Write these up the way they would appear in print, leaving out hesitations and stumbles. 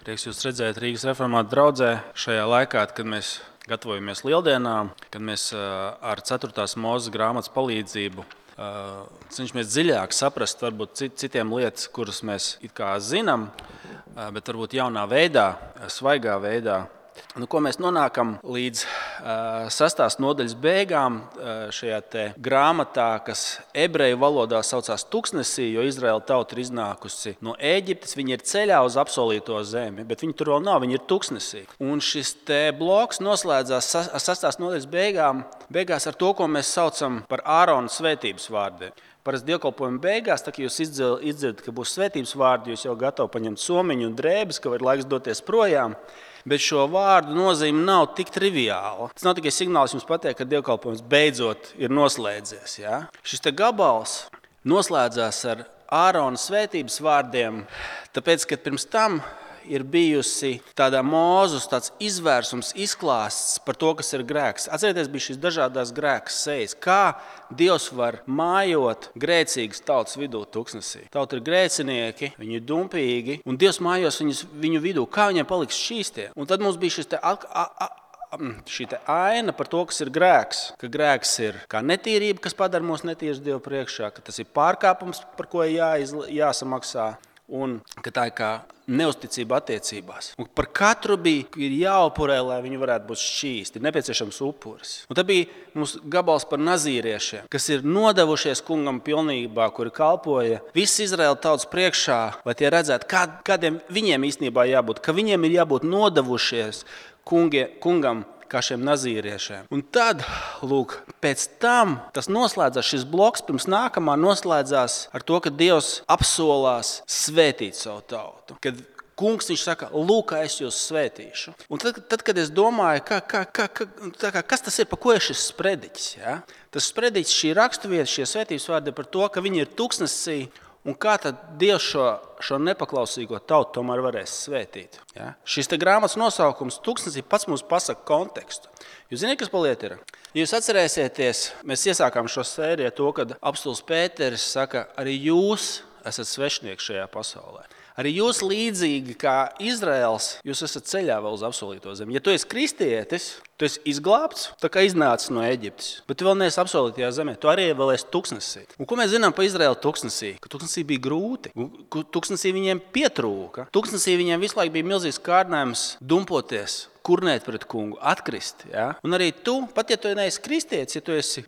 Prieks jūs redzēt Rīgas reformātu draudzē šajā laikā, kad mēs gatavojamies Lieldienām, kad mēs ar 4. Mūzes grāmatas palīdzību cenšamies dziļāk saprast varbūt citiem lietas, kuras mēs it kā zinām, bet varbūt jaunā veidā, svaigā veidā. Ko mēs nonākam līdz 6. nodaļas beigām šajā te grāmatā, kas ebreju valodā saucās Tuksnesī, jo Izraēla tauta ir iznākusi no Ēģiptes. Viņi ir ceļā uz apsolīto zemi, bet viņi tur vēl nav, viņi ir Tuksnesī. Un šis te bloks noslēdzās ar 6. nodaļas beigās ar to, ko mēs saucam par Ārona svētības vārdiem. Parasti dievkalpojuma beigās, tā, kad jūs izdzirdat, ka būs svētības vārdi, jūs jau gatavi paņemt somiņu un drēbes, ka ir laiks doties projām. Bet šo vārdu nozīme nav tik triviāla. Tas nav tikai signāls jums pateikt, ka dievkalpojums beidzot ir noslēdzies. Ja? Šis te gabals noslēdzās ar Ārona svētības vārdiem, tāpēc, ka pirms tam ir bijusi tādā Mūzes tāds izvērsums, izklāsts par to, kas ir grēks. Atcerieties, bija šīs dažādās grēka sejas. Kā Dievs var mājot grēcīgas tautas vidū Tuksnesī? Tauta ir grēcinieki, viņi ir dumpīgi, un Dievs mājos viņu vidū. Kā viņiem paliks šķīstie? Un tad mums bija šī aina par to, kas ir grēks. Ka grēks ir kā netīrība, kas padara mūs netīrus Dievu priekšā, ka tas ir pārkāpums, par ko jāsamaksā. Un ka tā ir kā neusticība attiecībās. Un par katru ir jāupurē, lai viņi varētu būt šķīsti. Ir nepieciešams upuris. Un tad bija mums gabals par nazīriešiem, kas ir nodevušies kungam pilnībā, kuri kalpoja visas Izraēla tautas priekšā, lai tie redzētu, kādiem viņiem īstenībā jābūt, ka viņiem ir jābūt nodevušies kungam kā šiem nazīriešiem. Un tad, lūk, pēc tam tas noslēdzās, šis bloks pirms nākamā noslēdzās ar to, ka Dievs apsolās svētīt savu tautu. Kad kungs viņš saka, lūk, es jūs svētīšu. Un tad kad es domāju, kas tas ir, pa ko ir šis sprediķis? Ja? Tas sprediķis, šī raksturvieta, šie svētības vārdi par to, ka viņi ir Tuksnesī. Un kā tad Dievs šo nepaklausīgo tautu tomēr varēs svētīt? Ja? Šis te grāmatas nosaukums Tuksnesī pats mums pasaka kontekstu. Jūs zināt, kas pa lietu ir? Ja jūs atcerēsieties, mēs iesākām šo sēriju ar to, kad apostols Pēteris saka, arī jūs esat svešnieki šajā pasaulē. Arī jūs līdzīgi kā Izraels, jūs esat ceļā vēl uz apsolīto zemi. Ja tu esi kristietis, tu esi izglābts, tā kā iznācis no Eģiptes, bet tu vēl neesi apsolītajā zemē, tu arī vēl esi Tuksnesī. Un ko mēs zinām par Izraēlu Tuksnesī? Ka Tuksnesī bija grūti, Tuksnesī viņiem pietrūka, Tuksnesī viņiem visu laiku bija milzīgs kārdinājums dumpoties, kurnēt pret kungu, atkrist. Ja? Un arī tu, pat ja tu neesi kristietis, ja tu esi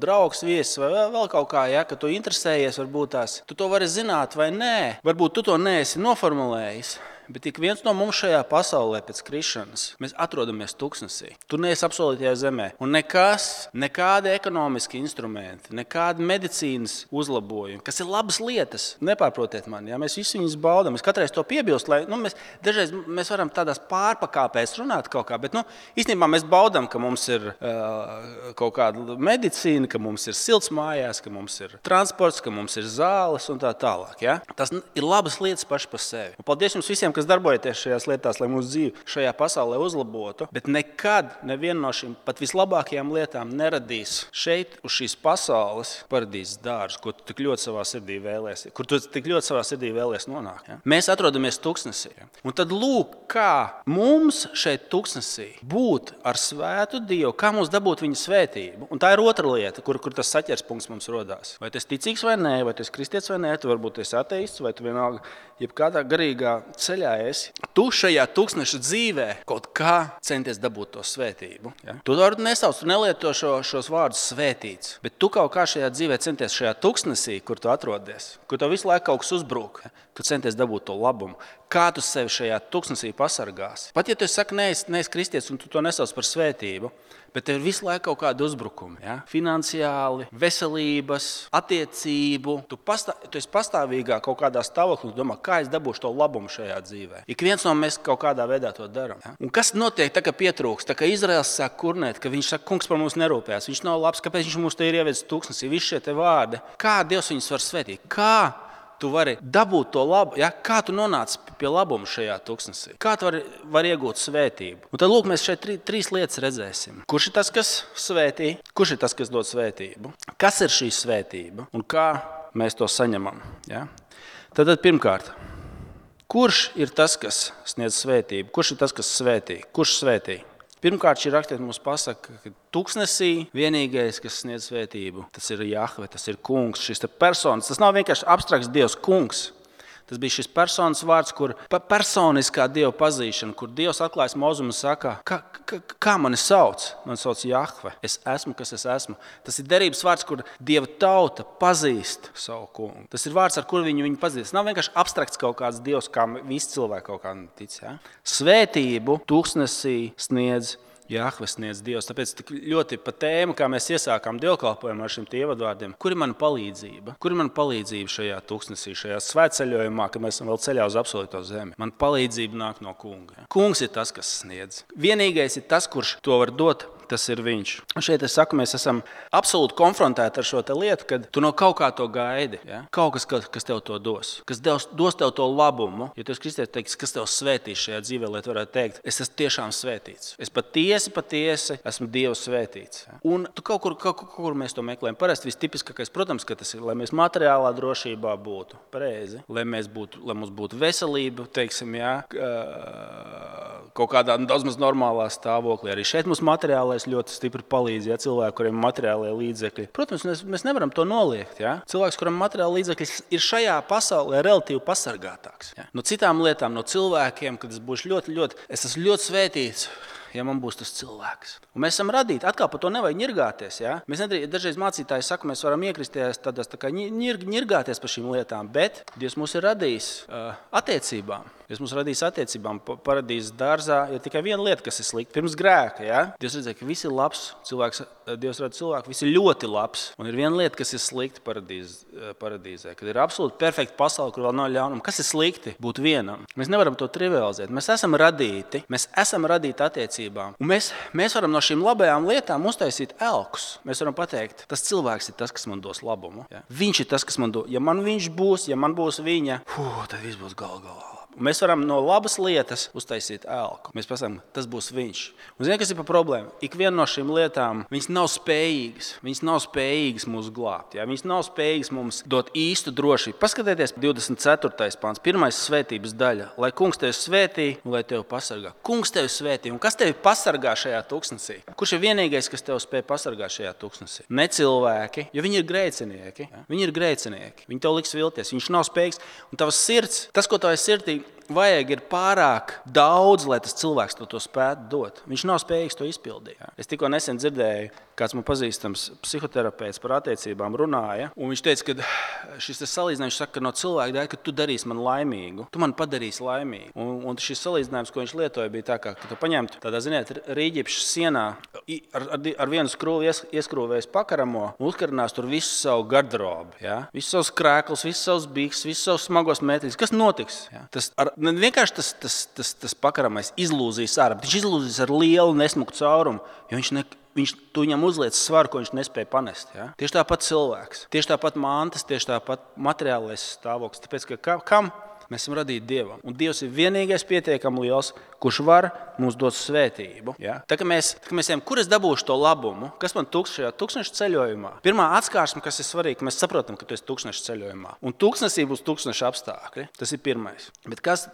draugs, viesis vai vēl kaut kā, ja, ka tu interesējies varbūt tās, tu to vari zināt vai nē, varbūt tu to neesi noformulējis. Bet ik viens no mums šajā pasaulē pēc krišanas, mēs atrodamies Tuksnesī. Tu neesi apsolītajā zemē. Un nekādi ekonomiski instrumenti, nekādi medicīnas uzlabojumi, kas ir labas lietas, nepārprotiet mani. Ja? Mēs visi viņus baudām. Es katreiz to piebilstu, lai dažreiz mēs varam tādās pārpakāpēs runāt kaut kā, bet īstenībā mēs baudām, ka mums ir kaut kāda medicīna, ka mums ir silts mājās, ka mums ir transports, ka mums ir zāles un tā tālāk. Ja? Tas ir labas lietas paši par sevi. Un paldies jums visiem, kas darbojaties šajās lietās, lai mūsu dzīve šajā pasaulē uzlabotu, bet nekad neviena no šīm pat vislabākajām lietām neradīs šeit uz šīs pasaules paradīzes dārzu, ko tu tik ļoti savā sirdī vēlies nonākt. Ja? Mēs atrodamies Tuksnesī. Un tad lūk, kā mums šeit Tuksnesī būt ar svētu Dievu, kā mums dabūt viņa svētību. Un tā ir otra lieta, kur tas saķers punkts mums rodās. Vai tu esi ticīgs vai nē, vai tu esi kristietis vai nē, tu varbūt esi ateists, vai tu vienalga jebkādā garīgā ceļā esi. Tu šajā Tuksneša dzīvē kaut kā centies dabūt to svētību. Ja? Tu to nesauc, tu nelieto šos vārdus svētīts, bet tu kaut kā šajā dzīvē centies šajā Tuksnesī, kur tu atrodies, kur tev visu laiku kaut kas uzbrūk, ja? Tu centies dabūt to labumu. Kā tu sevi šajā Tuksnesī pasargāsi? Pat ja tu saki, neesi kristietis un tu to nesauc par svētību, bet tev ir visu laiku kaut kādi uzbrukumi. Ja? Finansiāli, veselības, attiecību. Tu esi pastāvīgā kaut kādā stāvoklī un domā, kā es dabūšu to labumu šajā dzīvē. Ik viens no mēs kaut kādā veidā to darām. Ja? Un kas notiek, tā kā pietrūks? Tā kā Izraels sāk kurnēt, ka viņš saka, kungs par mums nerūpējās, viņš nav labs, kāpēc viņš mums te ir ievedis Tuksnesī, visi šie te vārdi. Kā Dievs viņus var svētīt? Kā tu vari dabūt to labu, ja? Kā tu nonāc pie labuma šajā Tuksnesī? Kā tu vari iegūt svētību? Un tad lūk, mēs šeit trīs lietas redzēsim. Kurš ir tas, kas svētī? Kurš ir tas, kas dod svētību? Kas ir šī svētība? Un kā mēs to saņemam? Ja? Tad pirmkārt, Kurš ir tas, kas sniedz svētību? Kurš ir tas, kas svētī? Kurš svētī? Pirmkārt, šī rakstīte mums pasaka, ka tuksnesī vienīgais, kas sniedz svētību, tas ir Jahve, tas ir kungs, šis personis. Tas nav vienkārši abstrakts Dievs, kungs. Tas bija šis personas vārds, kur personiskā Dieva pazīšana, kur Dievs atklājas Mozum un saka, kā mani sauc? Mani sauc Jahve. Es esmu, kas es esmu. Tas ir derības vārds, kur Dieva tauta pazīst savu kungu. Tas ir vārds, ar kuru viņu pazīst. Tas nav vienkārši abstrakts kaut kāds Dievs, kā visi cilvēki kaut kā tic. Ja? Svētību tuksnesī sniedz Jahve, sniedz Dievs. Tāpēc tik ļoti pa tēmu, kā mēs iesākām dievkalpojumu ar šiem ievadvārdiem. Kur ir mana palīdzība? Kur ir mana palīdzība šajā tuksnesī, šajā svētceļojumā, kad mēs esam vēl ceļā uz absolūto zemi? Man palīdzība nāk no kunga. Kungs ir tas, kas sniedz. Vienīgais ir tas, kurš to var dot. Tas ir viņš. Un šeit es saku, mēs esam absolūti konfrontēti ar šo lietu, kad tu no kaut kā to gaidi. Ja? Kaut kas tev to dos. Kas dos tev to labumu. Ja tu esi kristietis, teiks, kas tev svētīs šajā dzīvē, lai tu varētu teikt, es esmu tiešām svētīts. Es patiesi esmu Dieva svētīts. Ja? Un tu kaut kur mēs to meklējam. Parasti vistipiskākais, protams, ka tas ir, lai mēs materiālā drošībā būtu pareizi, lai mums būtu veselība, teiksim, ja? Kaut kādā daudz maz normālā stāvoklī. Arī šeit mums materiālais ļoti stipri palīdz, ja cilvēki, kuriem ir materiālie līdzekļi. Protams, mēs nevaram to noliegt. Ja? Cilvēks, kuram materiāli līdzekļi ir šajā pasaulē relatīvi pasargātāks. Ja? No citām lietām, no cilvēkiem, kad es būšu es esmu ļoti svētīts, ja man būs tas cilvēks. Un mēs esam radīti. Atkal par to nevajag ņirgāties. Ja? Mēs dažreiz mācītāji saka, mēs varam iekristies tādās tā kā ņirgāties par šīm lietām, bet Dievs mūs ir radījis attiecībām. Dievs mūs radījis attiecībām. Paradīzes dārzā ir tikai viena lieta, kas ir slikta. Pirms grēka, ja? Dievs redzēja, ka viss ir labs. Dievs rada cilvēku, viss ir ļoti labs. Un ir viena lieta, kas ir slikta paradīzē. Kad ir absolūti perfekta pasaule, kur vēl nav ļaunuma. Kas ir slikti? Būt vienam. Mēs nevaram to trivializēt. Mēs esam radīti attiecībām. Un mēs varam no šīm labajām lietām uztaisīt elkus. Mēs varam pateikt, tas cilvēks ir tas, kas man dos labumu. Ja? Viņš ir tas, kas man dos. Ja man viņš būs, ja man būs viņa, tad viss būs galā. Mēs varam no labas lietas uztaisīt elku. Mēs pasakām, tas būs viņš. Un zini, kas ir par problēmu? Ik viena no šīm lietām, viņas nav spējīgas. Viņas nav spējīgas mūs glābt. Ja? Viņas nav spējīgas mums dot īstu drošību. Paskatieties 24. pāns, pirmais svētības daļa. Lai kungs tevi svētī un lai tevi pasargā. Kungs tevi svētī. Un kas tevi pasargā šajā tuksnesī? Kurš ir vienīgais, kas tevi spēj pasargāt šajā tuksnesī? Ne cilvēki, jo viņi ir grēcinieki. Ja? Viņi ir grēcinieki. Viņi tev liks vilties. Viņš nav spējīgs. Un tavas sirds, tas, ko tavai sirdī vajag, ir pārāk daudz, lai tas cilvēks to spētu dot. Viņš nav spējīgs to izpildīt. Ja? Es tikko nesen dzirdēju, kāds man pazīstams psihoterapeits par attiecībām runāja, un viņš teica, ka šis salīdzinājums saka, ka no cilvēka dēļ, ka tu darīsi man laimīgu, tu man padarīsi laimīgu. Un šis salīdzinājums, ko viņš lietoja, bija tā, ka tu paņemtu tādā, ziniet, rīģipša sienā ar vienu skrūvi ieskrūvējis pakaramo un uzkarinās tur visu savu garderobu. Ja? Visus savus krēklus, visus savus bikses, visus savus smagos metīļus. Kas notiks? Ja? Vienkārši tas pakaramais izlūzīs ārā, bet viņš izlūzīs ar lielu nesmuku caurumu, jo tu viņam uzliec svaru, ko viņš nespēja panest. Ja? Tieši tāpat cilvēks, tieši tāpat mantas, tieši tāpat materiālais stāvoklis. Tāpēc, ka kam? Mēs esam radīti Dievam. Un Dievs ir vienīgais pietiekami liels, kurš var mums dot svētību. Ja? Tā kā mēs ejam, kur es dabūšu to labumu, kas man šajā tūkstneša ceļojumā? Pirmā atskārsme, kas ir svarīga, ka mēs saprotam, ka tu esi tūkstneša ceļojumā. Un tūkstnesī būs tūkstneša apstākļi. Tas ir pirmais. Bet kas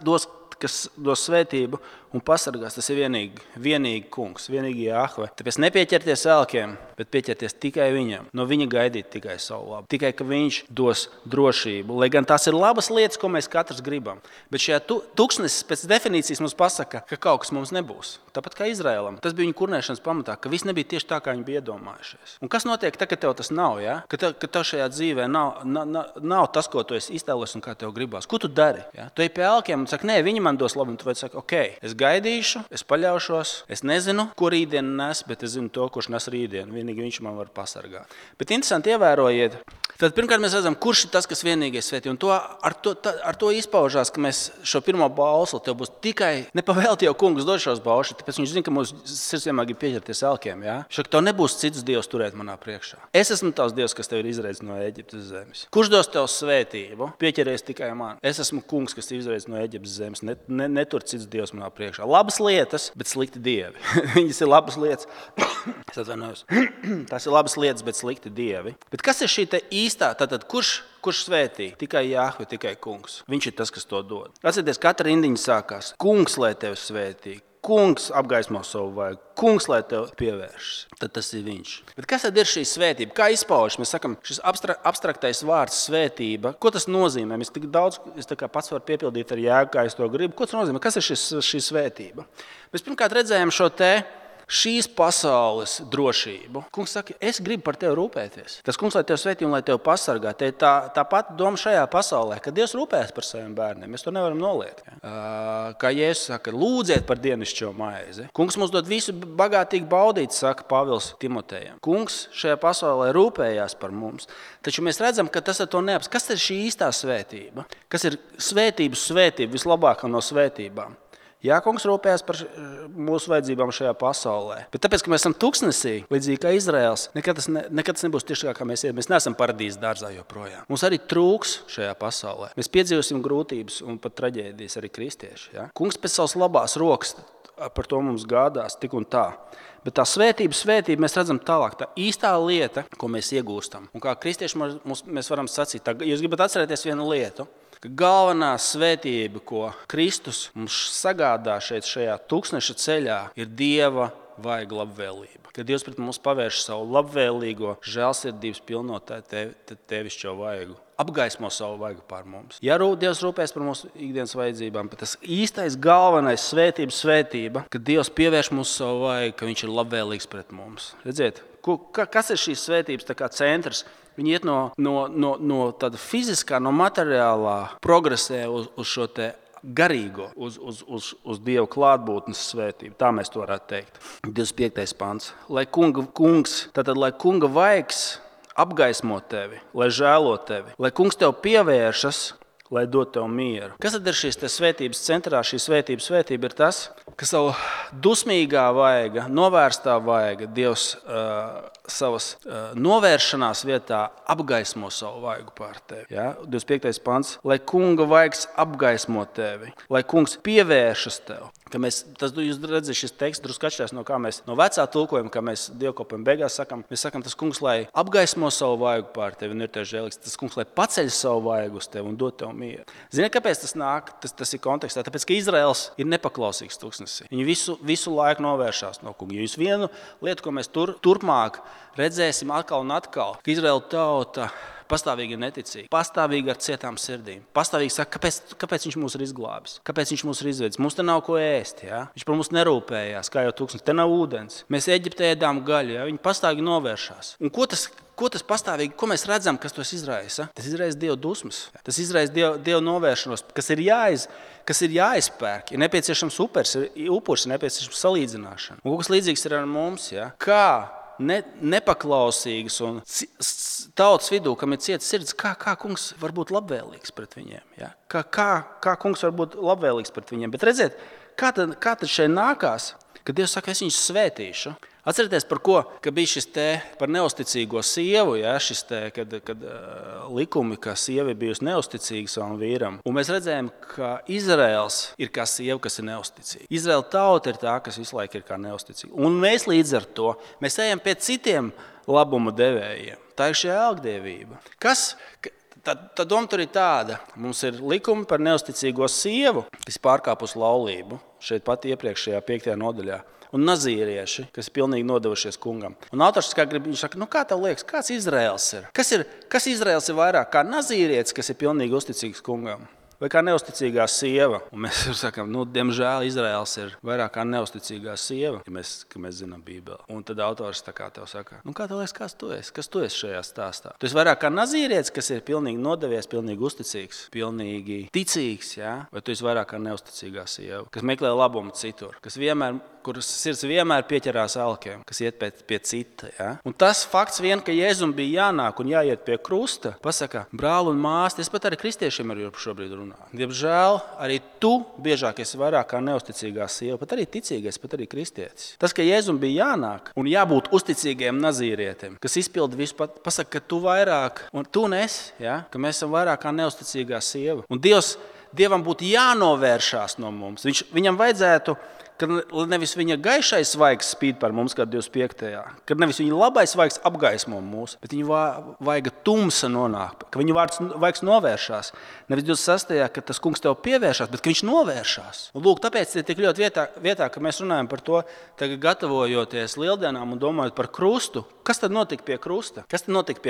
dos svētību un pasargās, tas ir vienīgi kungs, vienīgi Jahve. Tāpēc nepieķerties elkiem, bet pieķerties tikai viņam. No viņa gaidīt tikai savu labu. Tikai, ka viņš dos drošību. Lai gan tās ir labas lietas, ko mēs katrs gribam. Bet šajā tūkstnesis pēc definīcijas mums pasaka, ka kaut kas mums nebūs. Tāpat kā Izraēlam. Tas bija viņa kurnēšanas pamatā, ka viss nebija tieši tā, kā viņi bija iedomājušies. Un kas notiek tad, kad tev tas nav? Ja? Ka tev šajā dzīvē nav tas, ko tu esi iztēlojies un kā tev gribās. Ko tu dari? Ja? Tu ej pie elkiem un saki, nē, viņi man dos labu. Un tu saki, ok, es gaidīšu, es paļaušos, es nezinu, ko rītdien nes, bet es zinu to, kurš nes rītdien. Vienīgi viņš man var pasargāt. Bet interesanti ievērojiet. Tad pirmkārt mēs redzam, kurš ir tas, kas vienīgais svētī. Un ar to izpaužās, ka mēs šo pirmo bausli tev būs tikai nepavēlti jau kungs dod šos baušus, tāpēc viņš zina, ka mūsu sirds vienmēr grib pieķerties elkiem. Ja? Šak tev nebūs cits dievs turēt manā priekšā. Es esmu tavs dievs, kas tev ir izraicis no Eģiptes zemes. Kurš dos tev svētību? Pieķeries tikai man. Es esmu kungs, kas ir izraicis no Eģiptes zemes. bet netur cits Dievs manā priekšā. Labas lietas, bet slikti dievi. Viņas ir labas lietas. Es atvainojos. Tas ir labas lietas, bet slikti dievi. Bet kas ir šī te īstā? Tātad, kurš svētī? Tikai Jahve, tikai Kungs. Viņš ir tas, kas to dod. Atcerieties, katra rindiņa sākās. Kungs, lai tevi svētī. Kungs apgaismo savu vaigu. Kungs, lai tev pievēršas. Tad tas ir viņš. Bet kas tad ir šī svētība? Kā izpaužas? Mēs sakam, šis abstraktais vārds svētība. Ko tas nozīmē? Es tik daudz, pats varu piepildīt ar jēgu, kā es to gribu. Ko tas nozīmē? Kas ir šī svētība? Mēs pirmkārt redzējām šo šīs pasaules drošību. Kungs saka, es gribu par tevi rūpēties. Tas Kungs, lai tevi svētī un lai tevi pasargā. Te ir tā pati doma šajā pasaulē, ka Dievs rūpējas par saviem bērniem. Mēs to nevaram noliegt. Kā Jēzus saka, lūdziet par dienascho maizi. Kungs mums dod visu bagātīgi baudīt, saka Pāvils Timotejam. Kungs šajā pasaulē rūpējās par mums. Taču mēs redzam, ka tas ar to neapsaka. Kas ir šī īstā svētība? Kas ir svētība vislabākā no svētībām? Jā, Kungs rūpējas par mūsu vajadzībām šajā pasaulē. Bet tāpēc, ka mēs esam tuksnesī, līdzīgi kā Izraels, nekad tas nebūs tieši tā, kā mēs ejam. Mēs neesam paradīzes dārzā joprojām. Mums arī trūks šajā pasaulē. Mēs piedzīvosim grūtības un pat traģēdijas arī kristieši. Ja? Kungs pēc savas labās rokas par to mums gādās tik un tā. Bet tā svētība mēs redzam tālāk. Tā īstā lieta, ko mēs iegūstam. Un kā kristieši mēs varam sacīt, jūs gribat atcerēties vienu lietu, ka galvenā svētība, ko Kristus mums sagādā šajā tūkstneša ceļā, ir Dieva vaiga labvēlība. Kad Dievs pret mums pavērš savu labvēlīgo, žēlsirdības pilno tevišķo vaigu, apgaismo savu vaigu pār mums. Ja Dievs rūpēs par mūsu ikdienas vajadzībām, bet tas īstais galvenais svētība, kad Dievs pievērš mums savu vaigu, ka viņš ir labvēlīgs pret mums. Redziet, kas ir šīs svētības centrs? Viņi iet no tāda fiziskā, no materiālā progresē uz šo te garīgo, uz Dieva klātbūtnes svētību. Tā mēs to varētu teikt. 25. pants. Lai kunga vaigs apgaismo tevi, lai žēlo tevi, lai kungs tev pievēršas, lai dod tev mieru. Kas tad ir šīs svētības centrā? Šī svētība ir tas, ka savu dusmīgā vaiga, novērstā vaiga Dievs savas novēršanās vietā apgaismo savu vaigu pār tevi. Ja? 25. pants. Lai kunga vaigs apgaismo tevi, lai kungs pievēršas tev. Jūs redzat, šis teksts drusku atšķirās no vecā tulkojuma, kā mēs dievkalpojuma beigās sakam. Mēs sakam, tas kungs, lai apgaismo savu vaigu pār tevi un ir tev žēlīgs. Tas kungs, lai paceļ savu vaigu uz tevi un dod tev mieru. Ziniet, kāpēc tas nāk? Tas ir kontekstā. Tāpēc, ka Izraels ir nepaklausīgs tūkstnesī. Viņi visu laiku novēršās no kunga. Jūs vienu lietu, ko mēs turpmāk redzēsim atkal un atkal, ka Izraela tauta pastāvīgi ir neticīgi, pastāvīgi ar cietām sirdīm. Pastāvīgi saka, kāpēc viņš mūs ir izglābis, kāpēc viņš mūs ir izvedis. Mums te nav ko ēst, ja? Viņš par mums nerūpējās, kā jau tūkstnesis. Te nav ūdens. Mēs Eģiptē ēdām gaļu, ja? Viņi pastāvīgi novēršās. Un ko tas pastāvīgi, ko mēs redzam, kas tos izraisa? Tas izraisa Dieva dusmas. Tas izraisa Dieva novēršanos, kas ir jāizpērk. Ir nepieciešams upuris, ir nepieciešams salīdzināšana. Un kas līdzīgs ir ar mums, ja? Kā nepaklausīgas un tautas vidū, kam ir cieta sirds, kā kungs var būt labvēlīgs pret viņiem. Ja? Kā kungs var būt labvēlīgs pret viņiem. Bet redziet, kā tad šeit nākās, kad Dievs saka, es viņus svētīšu. Atcerieties, par ko, ka bija šis par neusticīgo sievu, ja? Kad likumi, ka sieva ir bijusi neusticīga savam vīram. Un mēs redzējām, ka Izraels ir kā sieva, kas ir neusticīga. Izraela tauta ir tā, kas visu laiku ir kā neusticīga. Un mēs līdz ar to, mēs ejam pie citiem labuma devējiem. Tā ir šī ēlgdievība. Tā doma tur ir tāda. Mums ir likumi par neusticīgo sievu, kas pārkāpus laulību. Šeit pat iepriekšējā 5. nodaļā. Un nazīrieši, kas ir pilnīgi nodevušies kungam. Un autors viņš saka, kā tev liekas, kāds Izraels ir? Kas Izraels ir vairāk kā nazīrietis, kas ir pilnīgi uzticīgs kungam? Vai kā neusticīgā sieva? Un mēs sakām, diemžēl Izraels ir vairāk kā neusticīgā sieva, ka mēs zinām Bībeli. Un tad autors tā kā tev saka, kā tev liekas, kas tu esi šajā stāstā? Tu esi vairāk kā nazīrietis, kas ir pilnīgi nodevies, pilnīgi uzticīgs, pilnīgi ticīgs, ja? Vai tu esi vairāk kā neusticīgā sieva, kas meklē labumu citur, kuras sirds vienmēr pieķerās alkiem, kas iet pie cita. Ja? Un tas fakts vien, ka Jēzum bija jānāk un jāiet pie krusta, pasaka, brāli un māsti, es pat arī kristiešiem ar jums šobrīd runāju. Diemžēl arī tu biežāk esi vairāk kā neusticīgā sieva, pat arī ticīgais, pat arī kristietis. Tas, ka Jēzum bija jānāk un jābūt uzticīgiem nazīrietim, kas izpilda visu, pasaka, ka tu vairāk, un tu nesi, ja? Ka mēs esam vairāk kā neusticīgā sieva. Un Dievs Dievam būtu jānovēršās no mums. Viņam vajadzētu, ka nevis viņa gaišais svaigs spīd par mums, kā 25. Kad nevis viņa labais svaigs apgaismo mūs, bet viņa vaiga tumsa nonāk, ka viņa vaigs novēršās. Nevis 26. ka tas kungs tev pievēršās, bet ka viņš novēršās. Un lūk, tāpēc ir tik ļoti vietā, ka mēs runājam par to, tagad gatavojoties lieldienām un domājot par krustu. Kas tad notika pie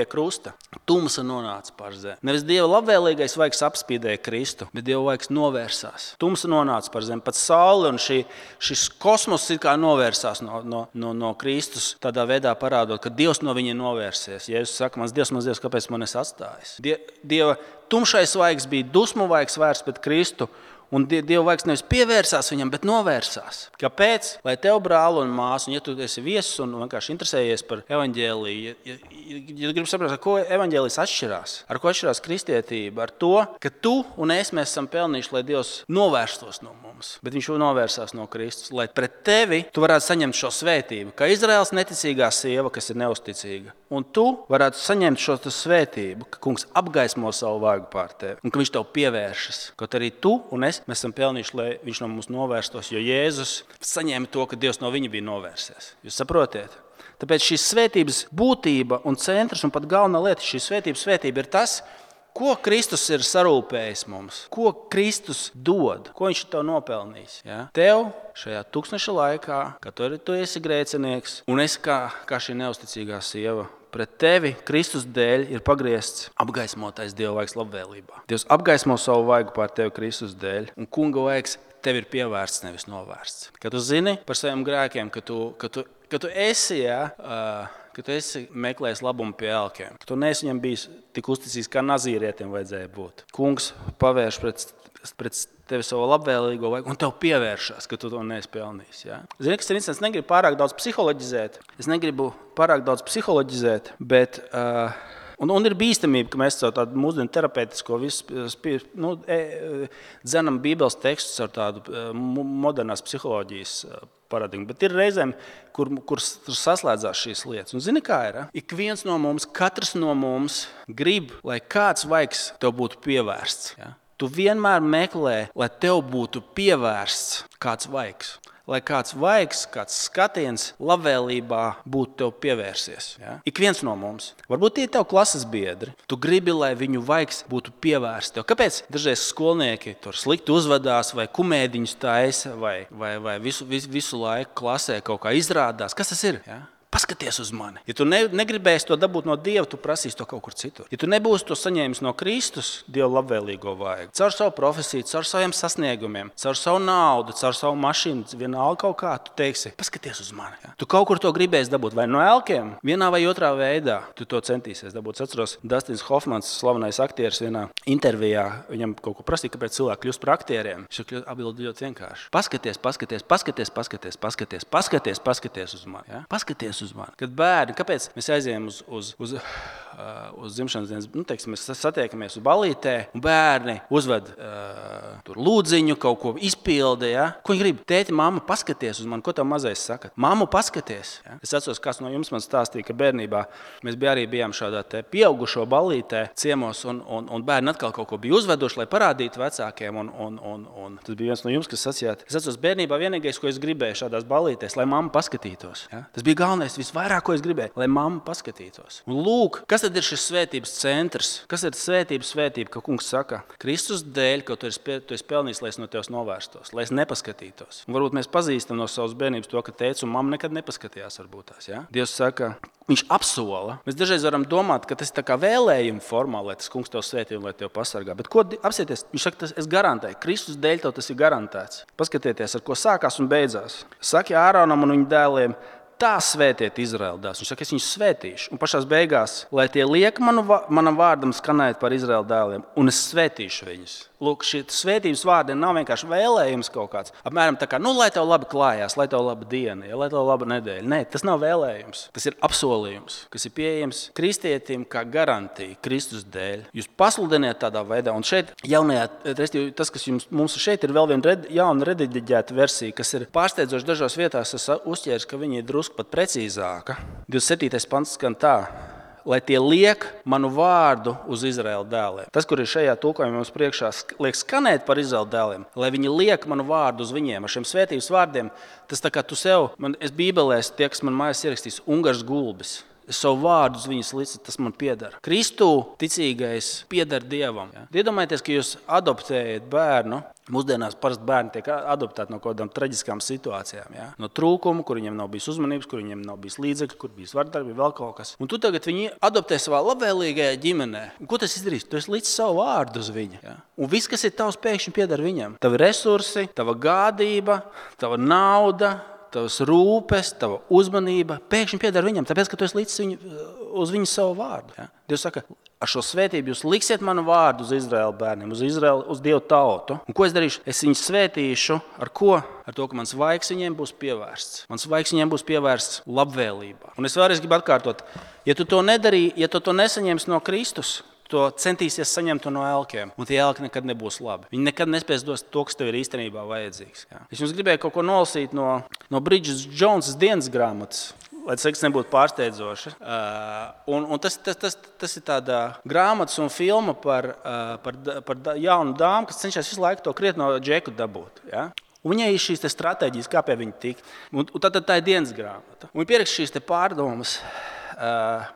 krusta? Tumsa nonāca pār zemi. Nevis Dieva labvēlīgais vaigs apspīdēja Kristu, bet Dieva vaigs novērsās. Tumsa nonāca pār zemi. Pat saule un šis kosmos it kā novērsās no Kristus, tādā veidā parādot, ka Dievs no viņa novērsies. Jēzus saka, mans Dievs, kāpēc man esi atstājis? Dieva tumšais vaigs bija dusmu vaigs vērsts pret Kristu, un Dieva vaigs nevis pievērsās viņam, bet novērsās. Kāpēc? Lai tev, brāli un māsu, un ja tu esi viesis un vienkārši interesējies par evaņģēliju, ja gribi saprast, ar ko evaņģēlijs atšķirās, ar ko atšķirās kristietība, ar to, ka tu un mēs esam pelnījuši, lai Dievs novērstos no mums, bet viņš novērsās no Kristus, lai pret tevi tu varētu saņemt šo svētību, kā Izraels neticīgā sieva, kas ir neusticīga, un tu varētu saņemt šo svētību, ka kungs apgaismo savu vaigu pār tevi, un ka viņš tev pievēršas, kaut arī tu un mēs esam pelnījuši, lai viņš no mums novērstos, jo Jēzus saņēma to, ka Dievs no viņa bija novērsies. Jūs saprotiet? Tāpēc šīs svētības būtība un centrs un pat galvenā lieta, šī svētība ir tas, ko Kristus ir sarūpējis mums, ko Kristus dod, ko viņš tev nopelnījis. Ja? Tev šajā tūkstneša laikā, kad tu esi grēcinieks un esi kā šī neusticīgā sieva, pret tevi Kristus dēļ ir pagriezts apgaismotais Dieva vaigs labvēlībā. Dievs apgaismo savu vaigu pār tevi Kristus dēļ, un kunga vaigs tev ir pievērsts, nevis novērsts. Kad tu zini par saviem grēkiem, ka tu esi meklējis labumu pie elkiem, ka tu neesi viņam bijis tik uzticīgs, kā nazīrietiem vajadzēja būt. Kungs pavērš pret tevi savu labvēlīgo vaigu, un tev pievēršās, ka tu to neesi pelnījis. Ja? Zini, kas ir interesants, negribu pārāk daudz psiholoģizēt, bet un ir bīstamība, ka mēs caur tādu mūsdienu terapeitisko dzenam Bībeles tekstus ar tādu modernās psiholoģijas paradigmu. Bet ir reizēm, kur saslēdzās šīs lietas. Un zini, kā ir? Katrs no mums grib, lai kāds vaigs tev būtu pievērsts. Ja? Tu vienmēr meklē, lai tev būtu pievērsts kāds vaigs. Lai kāds vaigs, kāds skatiens labvēlībā būtu tev pievērsies. Ja? Ik viens no mums. Varbūt tie ir tev klases biedri. Tu gribi, lai viņu vaigs būtu pievērsts tev. Kāpēc dažreiz skolnieki tur slikti uzvedās vai kumēdiņus taisa vai visu laiku klasē kaut kā izrādās? Kas tas ir? Ja? Paskaties uz mani. Ja tu negribēsi to dabūt no Dieva, tu prasīsi to kaut kur citur. Ja tu nebūsi to saņēmis no Kristus, Dieva labvēlīgo vaigu, caur savu profesiju, caur saviem sasniegumiem, caur savu naudu, caur savu mašīnu, vienalga kaut kā, tu teiksi, paskaties uz mani. Ja? Tu kaut kur to gribēsi dabūt vai no elkiem, vienā vai otrā veidā tu to centīsies dabūt. Es atceros, Dustins Hofmans, slavenais aktieris, vienā intervijā, viņam kaut ko prasīja, kāpēc cilvēki kļūst par aktieriem. Viņš atbildēja ļoti vienkārši. Paskaties uz mani. Ja? Paskaties uz mani. Kad bērni, kāpēc mēs aizējām uz dzimšanas dienas, teiksim, mēs satiekamies uz ballītē, un bērni uzved tur lūdziņu, kaut ko izpilda, ja? Ko viņi grib? Tēti, mamma, paskaties uz mani, ko tev mazais saka? Mammu, paskaties. Ja? Es atceros, kāds no jums man stāstīja, ka bērnībā mēs bijām šādā te pieaugušo ballītē ciemos, un bērni atkal kaut ko bija uzveduši, lai parādītu vecākiem, un tas bija viens no jums, kas sacījāt. Es atceros, bērnībā vienīgais, ko es gribēju šādās ballītēs, lai mamma paskatītos. Ja? Tas bija galvenais. Visvairāk, ko es gribēju, lai mamma paskatītos. Un lūk, kas tad ir šis svētības centrs? Kas ir svētība, ka kungs saka, Kristus dēļ, ka tu esi pelnījis, lai es no tevis novērstos, lai es nepaskatītos. Un varbūt mēs pazīstam no savas bērnības to, ka tēvs un mamma nekad nepaskatījās varbūt tās. Ja? Dievs saka, viņš apsola. Mēs dažreiz varam domāt, ka tas ir tā kā vēlējuma formā, lai tas kungs tev svētī un lai tev pasargā. Bet ko apsieties? Viņš saka, es garantēju. Kristus dēļ tev tas ir garantēts. Paskatieties, ar ko sākās un beidzās. Saki Āronam un viņa dēliem, tā svētiet Izraēla dēlus. Viņš saka, es viņus svētīšu. Un pašās beigās, lai tie liek manam vārdam skanēt par Izraēla dēliem, un es svētīšu viņus. Lūk, šī svētības vārdi nav vienkārši vēlējums kaut kāds. Apmēram tā kā, lai tev labi klājās, lai tev laba diena, ja, lai tev laba nedēļa. Nē, tas nav vēlējums. Tas ir apsolījums, kas ir pieejams kristietim kā garantija Kristus dēļ. Jūs pasludiniet tādā veidā. Un šeit jaunajā, tas, kas mums šeit ir vēl viena jauna rediģēta versija, kas ir pārsteidzoši dažās vietās, es uzķēru, ka viņi ir drusku pat precīzāka. 27. pants skan tā. lai tie liek manu vārdu uz Izraēla dēliem. Tas, kur ir šajā tulkojumā mums priekšā liek skanēt par Izraēla dēliem, lai viņi liek manu vārdu uz viņiem. Ar šiem svētības vārdiem, tas tā kā tu sev, es bībelēs, tie, kas man mājās ierakstīs, Ungars gulbis. Es savu vārdu uz viņas lici, tas man pieder. Kristū ticīgais pieder Dievam. Ja? Iedomājieties, ka jūs adoptējat bērnu. Mūsdienās parasti bērni tiek adoptēti no kādām traģiskām situācijām. Ja? No trūkuma, kur viņiem nav bijis uzmanības, kur viņiem nav bijis līdzekļi, kur bijis vardarbība, vēl kaut kas. Un tu tagad viņi adoptē savā labvēlīgajā ģimenē. Un ko tas izdarīs? Tu esi licis savu vārdu uz viņu. Ja? Un viss, kas ir tavs, pēkšņi pieder viņam. Tavi resursi, tava gādība, tava nauda, tavas rūpes, tava uzmanība pēkšņi pieder viņam, tāpēc, ka tu esi licis uz viņu savu vārdu. Ja? Dievs saka, ar šo svētību jūs liksiet manu vārdu uz Izraēla bērniem, uz Dievu tautu. Un ko es darīšu? Es viņus svētīšu ar ko? Ar to, ka mans vaigs viņiem būs pievērsts. Mans vaigs viņiem būs pievērsts labvēlībā. Un es vēlreiz gribu atkārtot, ja tu to nedarīji, ja tu to nesaņemsi no Kristus, to centīsies saņemt no elkiem, un tie elki nekad nebūs labi. Viņi nekad nespēs dot to, kas tev ir īstenībā vajadzīgs. Ja? Es jums gribēju kaut ko nolasīt no Bridget Jonesas dienas grāmatas, lai tas nebūtu pārsteidzoši. Un tas ir tāda grāmatas un filma par jaunu dāmu, kas cenšas visu laiku to krietno džeku dabūt. Ja? Un viņai ir šīs stratēģijas, kā pie viņa tikt. Un tad tā ir dienas grāmata. Un viņa pieraksta šīs pārdomas,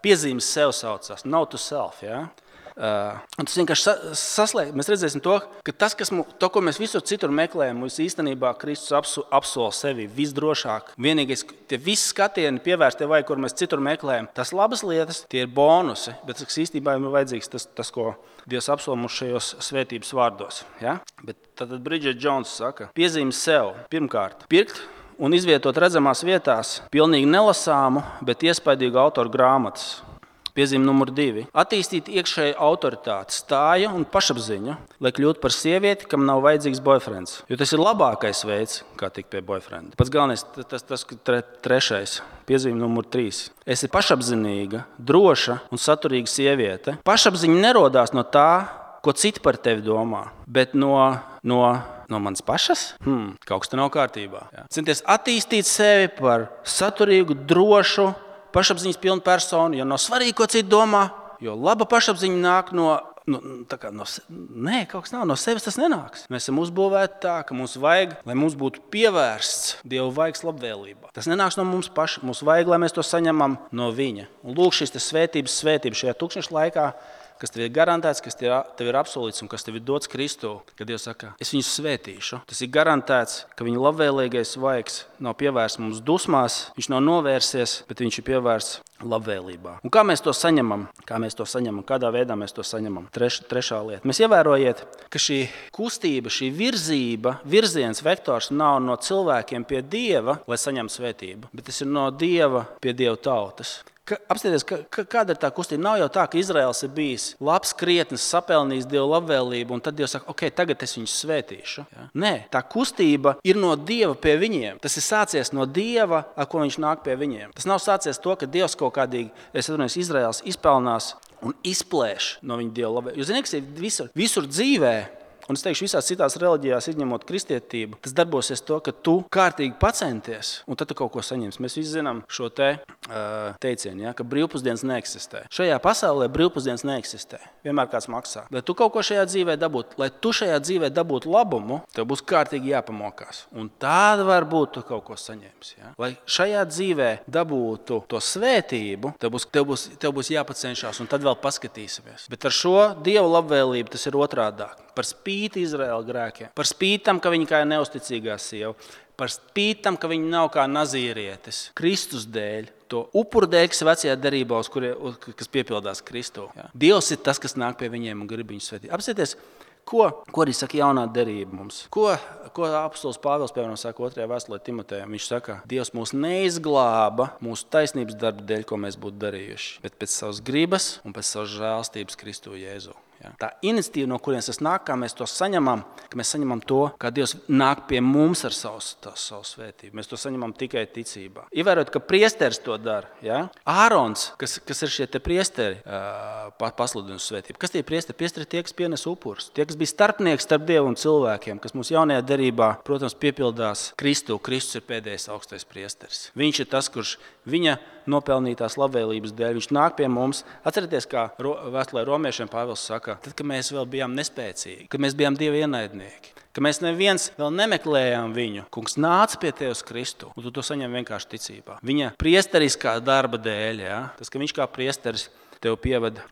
piezīmes sev saucās, note to self. Ja? Un tas vienkārši saslēg. Mēs redzēsim to, ka tas, ko mēs visur citur meklējam, mums īstenībā Kristus apsola sevi visdrošāk. Vienīgais, tie visi skatieni pievērsti vai, kur mēs citur meklējam, tas labas lietas, tie ir bonusi, bet tas īstenībā ir vajadzīgs tas, ko Dievs apsola mums šajos svētības vārdos. Ja? Bet tad Bridget Jones saka, piezīmes sev, pirmkārt, pirkt un izvietot redzamās vietās pilnīgi nelasāmu, bet iespaidīgu autoru grāmatas. Piezīme numur 2. Attīstīt iekšēju autoritāti, stāju un pašapziņu, lai kļūtu par sievieti, kam nav vajadzīgs boyfriends. Jo tas ir labākais veids, kā tikt pie boyfrienda. Pats galvenais, tas trešais. Piezīme numur 3. Esi pašapzinīga, droša un saturīga sieviete. Pašapziņa nerodās no tā, ko citi par tevi domā, bet no manas pašas? Kaut kas te nav kārtībā. Jā. Centies attīstīt sevi par saturīgu, drošu, pašapziņas pilnu personu, jo nav svarīgi, ko citi domā, jo laba pašapziņa nāk kaut kas nav, no sevis tas nenāks. Mēs esam uzbūvēti tā, ka mums vajag, lai mums būtu pievērsts Dieva vaigs labvēlībā. Tas nenāks no mums paša, mums vajag, lai mēs to saņemam no viņa. Un lūk šīs svētības šajā tukšņa laikā, kas tev ir garantēts, kas tev ir apsolīts un kas tev ir dots Kristū, kad Dievs saka, es viņus svētīšu. Tas ir garantēts, ka viņa labvēlīgais vaigs nav pievērsts mums dusmās, viņš nav novērsies, bet viņš ir pievērsts labvēlībā. Un kā mēs to saņemam? Kādā veidā mēs to saņemam? Trešā lieta. Mēs ievērojiet, ka šī kustība, šī virziens, vektors nav no cilvēkiem pie Dieva, lai saņemtu svētību, bet tas ir no Dieva pie Dieva tautas. Apstieties, kāda ir tā kustība? Nav jau tā, ka Izraels ir bijis labs, krietnis, sapelnījis Dieva labvēlību, un tad Dievs saka, ok, tagad es viņus svētīšu. Ja? Nē, tā kustība ir no Dieva pie viņiem. Tas ir sācies no Dieva, ar ko viņš nāk pie viņiem. Tas nav sācies to, ka Dievs kaut kādīgi, Izraels izpelnās un izplēš no viņa Dieva labvēlību. Jūs zināt, kas ir visur dzīvē, un es teikšu, visās citās reliģijās, izņemot kristietību, tas darbosies to, ka tu kārtīgi pacenties, un tad tu kaut ko saņemsi. Mēs visi zinām šo teicienu, ja, ka brīvpusdienas neeksistē. Šajā pasaulē brīvpusdienas neeksistē. Vienmēr kāds maksā. Lai tu kaut ko šajā dzīvē dabūtu labumu, tev būs kārtīgi jāpamokās. Un tāda varbūt tu kaut ko saņemsi. Ja. Lai šajā dzīvē dabūtu to svētību, tev būs jāpacenšās, un tad vēl paskatīsimies. Bet ar šo Dieva labvēlību tas ir otrādāk. Par spīti Izraēla grēkiem, par spīti tam, ka viņi kā neusticīgā sieva, par spīti tam, ka viņi nav kā nazīrietis, Kristus dēļ, to upuru dēļ, kas vecajā derībā, kas piepildās Kristū. Ja. Dievs ir tas, kas nāk pie viņiem un grib viņus svētīt. Apsieties, ko arī saka jaunā derība mums? Ko apostols Pāvils, piemēram, saka 2. vēstulē Timotejam? Viņš saka, Dievs mūs neizglāba mūsu taisnības darba dēļ, ko mēs būtu darījuši, bet pēc savas gribas un pēc savas žēlstības Kristū Jēzu. Ja? Tā iniciatīva, no kurienes tas nāk, kā mēs to saņemam, ka mēs saņemam to, kā Dievs nāk pie mums ar savu svētību. Mēs to saņemam tikai ticībā. Ievērot, ka priesteris to dara. Ja? Ārons, kas ir šie priesteri, pasludina svētību. Kas tie priesteri? Priesteri tie, kas pienes upurus. Tie, kas bija starpnieks starp Dievu un cilvēkiem, kas mūsu jaunajā derībā, protams, piepildās Kristu. Kristus ir pēdējais augstais priesteris. Viņš ir tas, kurš viņa nopelnītās labvēlības dēļ, viņš nāk pie mums. Atcerieties, kā vēstulē romiešiem Pāvils saka, tad, kad mēs vēl bijām nespēcīgi, kad mēs bijām Dieva ienaidnieki, ka mēs neviens vēl nemeklējām viņu. Kungs nāca pie tevis Kristu, un tu to saņem vienkārši ticībā. Viņa priesteriskā darba dēļ, ja? Tas, ka viņš kā priesteris tev pievada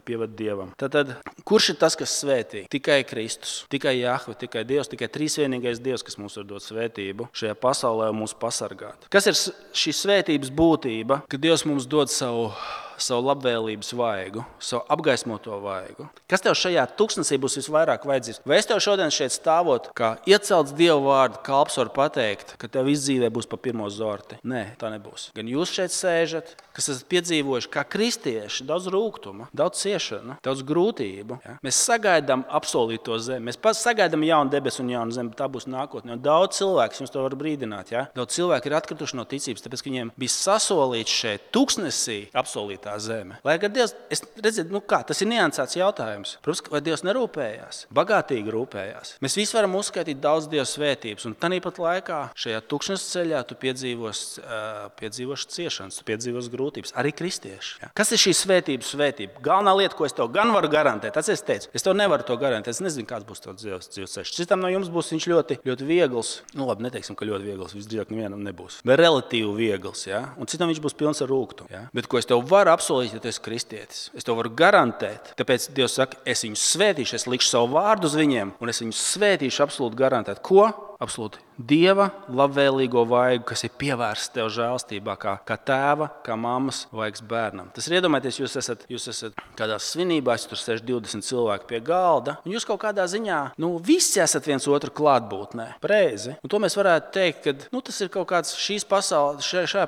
Dievam. Tad, kurš ir tas, kas svētī? Tikai Kristus, tikai Jahve, tikai Dievs, tikai trīsvienīgais Dievs, kas mums var dot svētību šajā pasaulē un mūs pasargāt. Kas ir šī svētības būtība, ka Dievs mums dod savu labvēlības vaigu, savu apgaismoto vaigu? Kas tev šajā tuksnesī būs visvairāk vajadzīgs? Vai es tev šodien šeit stāvot, kā iecelts Dieva vārdu kalps var pateikt, ka tev izdzīvē būs pa pirmo zorti? Nē, tā nebūs. Gan jūs šeit sēžat, kas esat piedzīvojuši kā kristieši, daudz rūgtuma, daudz ciešana, daudz grūtību. Ja? Mēs sagaidām apsolīto zemi, mēs sagaidām jaunu debesu un jaunu zemi, tā būs nākotnē. Un daudz cilvēku, jums to var brīdināt, ja? Daudz cilvēku ir atkrituši no ticības, tāpēc, ka viņiem bija sasolīts šeit tuksnesī apsolīt tā zeme. Lai gan Dievs, tas ir niansēts jautājums. Protams, vai Dievs nerūpējās? Bagātīgi rūpējās. Mēs visi varam uzskaitīt daudz Dieva svētības, un tāpat laikā šajā tukšnes ceļā tu piedzīvosi ciešanas, tu piedzīvosi grūtības, arī kristieši. Ja? Kas ir šī svētība? Galvenā lieta, ko es tev gan varu garantēt, es teicu, es tev nevaru to garantēt, es nezinu, kāds būs tavs dzīves ceļš. Citam no jums būs viņš ļoti, ļoti viegls, labi, neteiksim, ka ļoti viegls, visdrīzāk nevienam nebūs, bet relatīvi viegls, ja? Un citam viņš būs pilns ar rūgtu. Ja? Bet ko es tev varu apsolīt, ja tu esi kristietis. Es to varu garantēt. Tāpēc Dievs saka, es viņus svētīšu, es likšu savu vārdu uz viņiem, un es viņus svētīšu absolūti garantēt. Ko? Absolūti Dieva labvēlīgo vaigu, kas ir pievērsta tev žēlstībā, kā tēva, kā mammas vaigs bērnam. Tas ir iedomājieties, jūs esat kādās svinībās, tur sēž 20 cilvēki pie galda, un jūs kaut kādā ziņā, visi esat viens otru klātbūtnē. Pareizi. Un to mēs varētu teikt, ka tas ir kaut kāds šajā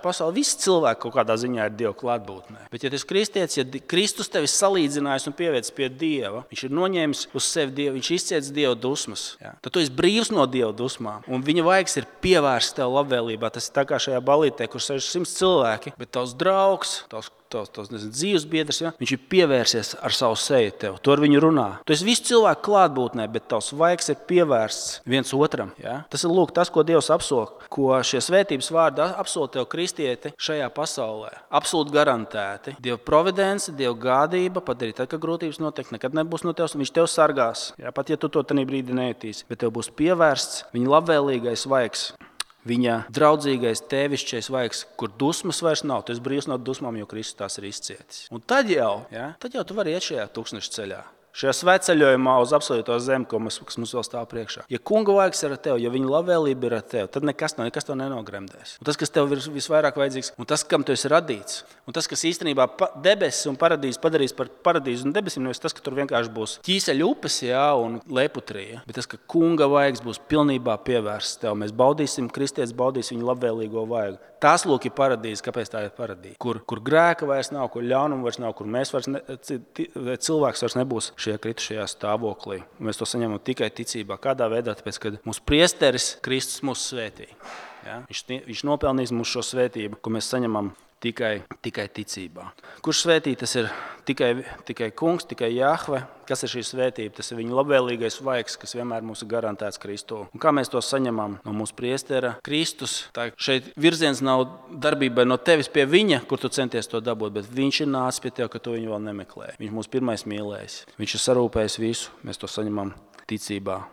pasaulē, visi cilvēki kaut kādā ziņā ir Dieva klātbūtnē. Bet ja tu esi kristietis, ja Kristus tevi salīdzinājis un pievēcis pie Dieva, viņš ir noņēmis uz sevi Dievu, viņš izciets Dieva dusmas, ja? Tad tu esi brīvs no Dieva dusmām. Un viņa vaigs ir pievērsts tev labvēlībā. Tas ir tā kā šajā balītē, kur 600 cilvēki, bet tavs draugs, tavs dzīves biedrs, ja? Viņš ir pievērsies ar savu seju tev. Tu ar viņu runā. Tu esi visu cilvēku klātbūtnē, bet tavs vaigs ir pievērsts viens otram. Ja? Tas ir tas, ko Dievs apsola, ko šie svētības vārdi apsola tev kristieti šajā pasaulē. Absolūti garantēti. Dieva providence, Dieva gādība padarīt, tad, ka grūtības noteikti nekad nebūs no tevis, un viņš tev sargās. Ja? Pat ja tu to tajā brīdī nejutīsi, bet tev būs pievērsts viņa labvēlīgais vaigs. Viņa draudzīgais, tēvišķais vaigs, kur dusmas vairs nav. Tu esi brīvs no dusmām, jo Kristus tās ir izcietis. Un tad jau tu vari iet šajā tukšneša ceļā. Šajā svētceļojumā uz absolūto zemi, kas mums vēl stāv priekšā. Ja kunga vaigs ir ar tevi, ja viņa labvēlība ir ar tevi, tad nekas to nenogremdēs. Un tas, kas tev ir visvairāk vajadzīgs, un tas, kam tu esi radīts, un tas, kas īstenībā debesis un paradīzes padarīs par paradīzi un debesīm, nevis tas, ka tur vienkārši būs ķīseļu upes un leputrija, bet tas, ka kunga vaigs būs pilnībā pievērsts tev. Mēs baudīsim, kristietis baudīs viņa labvēlīgo vaigu. Tās lūk ir paradīze. Kāpēc tā ir paradīze? Kur grēka vairs nav, kur ļaunuma vairs nav, kur cilvēks vairs nebūs šajā kritušajā stāvoklī. Mēs to saņemam tikai ticībā. Kādā veidā? Tāpēc, kad mūsu priesteris Kristus mūs svētī. Ja? Viņš nopelnīs mūsu šo svētību, ko mēs saņemam tikai ticībā. Kurš svētī? Tas ir tikai kungs, tikai Jahve. Kas ir šī svētība? Tas ir viņa labvēlīgais vaigs, kas vienmēr mums ir garantēts Kristū. Un kā mēs to saņemam? No mūsu priestera Kristus. Tā šeit virziens nav darbībai no tevis pie viņa, kur tu centies to dabūt, bet viņš ir nācis pie tev, ka tu viņu vēl nemeklē. Viņš mūs pirmais mīlējis. Viņš ir sarūpējis visu. Mēs to saņemam ticībā